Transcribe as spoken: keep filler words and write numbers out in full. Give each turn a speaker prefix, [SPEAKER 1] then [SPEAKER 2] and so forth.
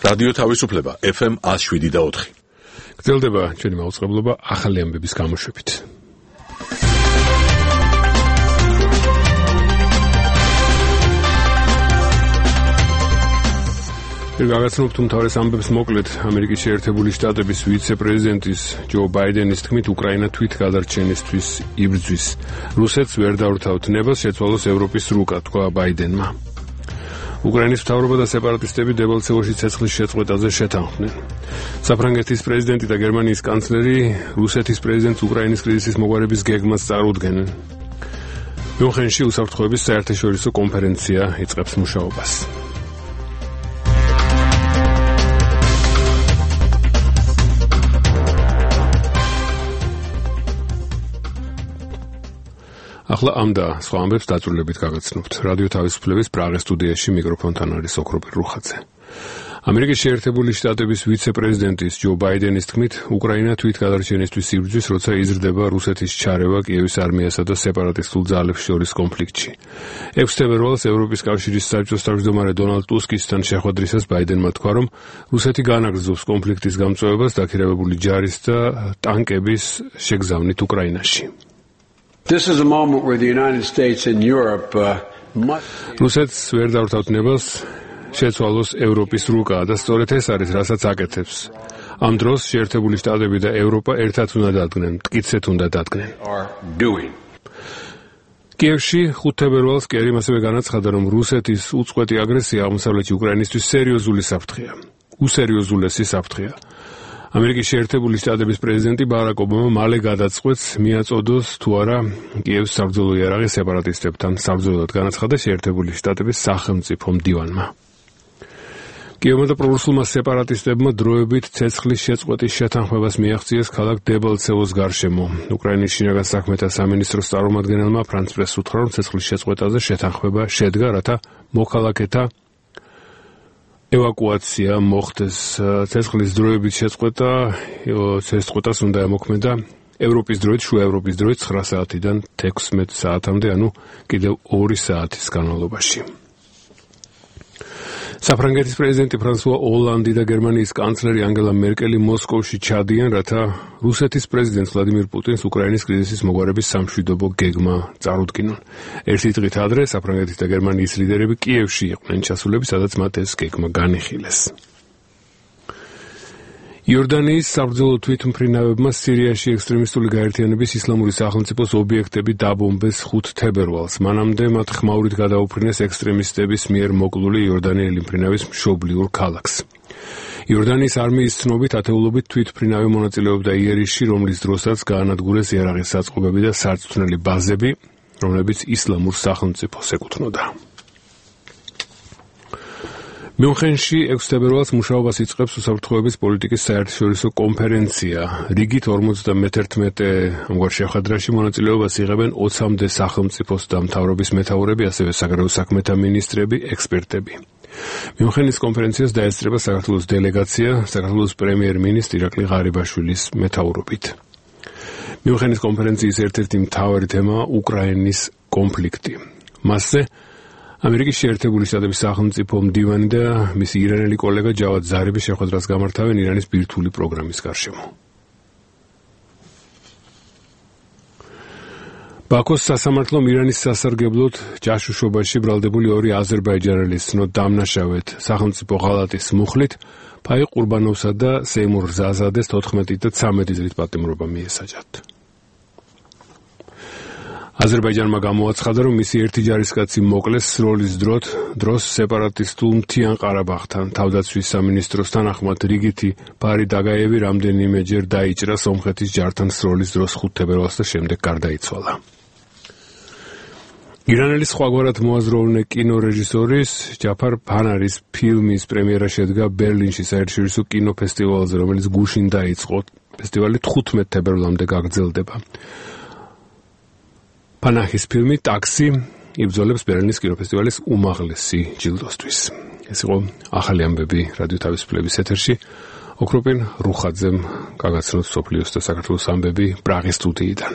[SPEAKER 1] რადიო თავისუფლება ეფ ემ one oh seven და four.
[SPEAKER 2] გრძელდება ჩვენი მაუწყებლობა ახალი ამბების გამოშვებით. გაგაცნობთ უმთავრეს ამბებს მოკლედ. ამერიკის შეერთებული შტატების ვიცე-პრეზიდენტის ჯო ბაიდენის თქმით, უკრაინა თვით გადარჩენისთვის იბრძვის. რუსეთს ვერ დაურთავთ ნებას, შეცვალოს ევროპის რუკა, თქვა ბაიდენმა. უკრაინის მთავრობა და სეპარატისტები დებალცევოში ცეცხლის შეწყვეტაზე შეთანხმდნენ. საფრანგეთის პრეზიდენტი და გერმანიის კანცლერი რუსეთის პრეზიდენტს უკრაინის კრიზისის მოგვარების გეგმას წარუდგენენ. მიუნხენში უსაფრთხოების საერთაშორისო კონფერენცია იწყებს მუშაობას. ახლა ამ და სხვა ამბებს დაწვრილებით გაგაცნობთ. რადიო თავისუფლების პრაღის სტუდიაში მიკროფონთან არის ოქროპირ რუხაძე. ამერიკის შეერთებული შტატების ვიცე-პრეზიდენტის ჯო ბაიდენის თქმით, უკრაინა თვით გადარჩენისთვის იბრძვის, როცა იზრდება რუსეთის ჩარევა კიევის არმიასა და სეპარატისტულ ძალებს შორის კონფლიქტში. ექვსი თებერვალს ევროპის კავშირის საბჭოს თავმჯდომარე დონალდ ტუსკისთან შეხვედრისას ბაიდენმა თქვა, რომ რუსეთი განაგრძობს კონფლიქტის გამწვევებას დაქირავებული ჯარის და ტანკების შეგზავნით უკრაინაში.
[SPEAKER 3] This is a moment where the United States and Europe uh, must
[SPEAKER 2] რუსეთს ვერ დაურთავთ ნებას, შეცვალოს ევროპის რუკა და სწორედ ეს არის, რასაც აკეთებს. ამ დროს შეერთებული შტატები და ევროპა ერთად უნდა დადგნენ, მტკიცედ უნდა დადგნენ. კიევში ხუთი თებერვალს კერიმ ასევე განაცხადა, რომ რუსეთის უწყვეტი აგრესია აღმოსავლეთი უკრაინისთვის სერიოზული საფრთხეა. უსერიოზულესი საფრთხეა. ამერიკის შეერთებული შტატების პრეზიდენტი ბარაკ ობამა მალე გადაწყვეტს მიაწოდოს თუ არა კიევის საბრძოლო იარაღი სეპარატისტებთან. საბრძოლოდ განაცხადა შეერთებული შტატების სახელმწიფო მდივანმა. კიევმა და პრორუსულმა სეპარატისტებმა დროებით ცეცხლის შეწყვეტის შეთანხმებას მიაღწიეს ქალაქ დებალცევოს გარშემო. უკრაინის შინაგან საქმეთა სამინისტროს წარმომადგენელმა ფრანც პრესს უთხრა, რომ ცეცხლის შეწყვეტაზე შეთანხმება შედგა, რათა მოქალაქეთა ევაკუაცია მოხდეს. ცეცხლის დროებით შეწყვეტა, შეწყვეტას უნდა ემოქმედა ევროპის დროით, შუა ევროპის დროით ცხრა საათიდან თექვსმეტ საათამდე, ანუ კიდევ ორი საათის განმავლობაში. საფრანგეთის პრეზიდენტი ფრანსუა ოლანდი და გერმანიის კანცლერი ანგელა მერკელი მოსკოვში ჩადიან, რათა რუსეთის პრეზიდენტს ვლადიმირ პუტინს უკრაინის კრიზისის მოგვარების სამშვიდობო გეგმა წარუდგინონ. ერთი დღით ადრე საფრანგეთის და გერმანიის ლიდერები კიევში იყვნენ ჩასულები, სადაც მათ ეს გეგმა განიხილეს. იორდანიის საბრძოლო თვითმფრინავებმა სირიაში ექსტრემისტული გაერთიანების ისლამური სახელმწიფოს ობიექტები დაბომბეს ხუთი თებერვალს. მანამდე მათ ხმაურით გადაუფრინეს ექსტრემისტების მიერ მოკლული იორდანიელი მფრინავის მშობლიურ ქალაქს. იორდანიის არმიის ცნობით ათეულობით თვითმფრინავი მონაწილეობდა იერიში, რომლის დროსაც გაანადგურეს იარაღის საწყობები და სარწმუნოები ბაზები, რომლებიც ისლამურ სახელმწიფოს ეკუთვნოდა. მიუნხენში ექვსი თებერვალს მუშაობას იწყებს უსაფრთხოების პოლიტიკის საერთაშორისო კონფერენცია. რიგით ორმოცდამეერთმეტე ამგვარ შეხვედრაში მონაწილეობას იღებენ ოცამდე სახელმწიფოს და მთავრობის მეთაურები, ასევე საგარეო საქმეთა მინისტრები, ექსპერტები. მიუნხენის კონფერენციას დაესწრება საქართველოს დელეგაცია, საქართველოს პრემიერ-მინისტრი ირაკლი ღარიბაშვილის მეთაურობით. მიუნხენის კონფერენციის ერთ-ერთი მთავარი თემაა უკრაინის კონფლიქტი. მასზე ამერიკის შეერთებული შტატების სახელმწიფო მდივანი და მისი ირანელი კოლეგა ჯავად ზარიბი შეხვედრას გამართავენ ირანის ბირთვული პროგრამის გარშემო. ბაქოს სასამართლომ ირანის სასარგებლოდ ჯაშუშობაში ბრალდებული ორი აზერბაიჯანელის ცნოთ დამნაშავედ სახელმწიფო ღალატის მუხლით ფაი ყურბანოვსა და სეიმურ ზაზადეს თოთხმეტი და ცამეტი წლის პატიმრობა მიესაჯათ. აზერბაიჯანმა გამოაცხადა, რომ მისი ერთი ჯარისკაცი მოკლეს სროლის დროთ დროს სეპარატისტულ მთიან ყარაბაღთან. თავდაცვის სამინისტროს თანახმად რიგითი ფარი დაგაევი რამდენიმეჯერ დაიჭრა სომხეთის ჯართან სროლის დროს ხუთი თებერვალს და შემდეგ გარდაიცვალა. ირანელი სხვაგვარად მოაზროვნე კინორეჟისორის ჯაფარ ფანარის ფილმის პრემიერა შედგა ბერლინში საერთაშორისო კინოფესტივალზე, რომელიც გუშინ დაიწყო. ფესტივალი თხუთმეტ თებერვლამდე გაგრძელდება. პანაჰის ფილმი ტაქსი იბრძოლებს ბერლინის კინოფესტივალის უმაღლესი ჯილდოსთვის. ეს იყო ახალი ამბები რადიო თავისუფლების ეთერში. ოქროპირ რუხაძემ გაგაცნოთ სოფლიოს და საქართველოს ამბები პრაღის სტუდიიდან.